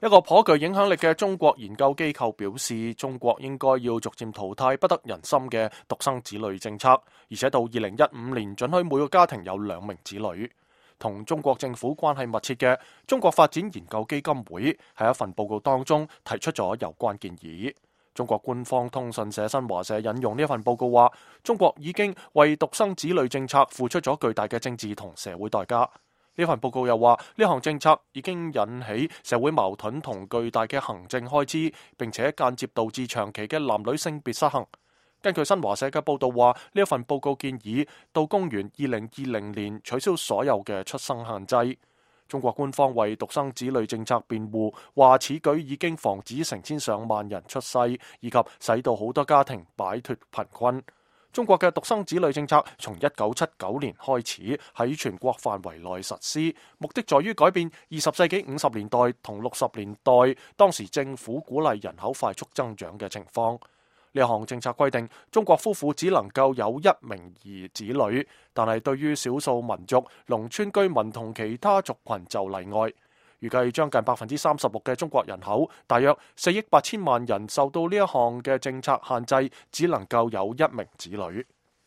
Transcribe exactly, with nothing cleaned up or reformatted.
一個頗具影響力嘅中國研究機構表示，中國應該要逐漸淘汰不得人心嘅獨生子女政策，而且到二零一五年准許每個家庭有兩名子女。同中國政府關係密切嘅中國發展研究基金會喺一份報告當中提出咗有關建議。中國官方通訊社新華社引用呢一份報告話，中國已經為獨生子女政策付出咗巨大嘅政治同社會代價。呢份報告又話，呢項政策已經引起社會矛盾同巨大嘅行政開支，並且間接導致長期嘅男女性別失衡。根據新華社嘅報道話，呢一份報告建議到公元二零二零年取消所有嘅出生限制。中國官方為獨生子女政策辯護，話此舉已經防止成千上萬人出世，以及使到好多家庭擺脫貧困。中國嘅獨生子女政策從一九七九年開始喺全國範圍內實施，目的在於改變二十世紀五十年代同六十年代當時政府鼓勵人口快速增長嘅情況。呢項政策規定，中國夫婦只能夠有一名兒子女，但係對於少數民族、農村居民同其他族群就例外。預計將近百分之三十六嘅中國人口，大約四億八千萬人受到呢一項嘅政策限制，只能夠有一名子女。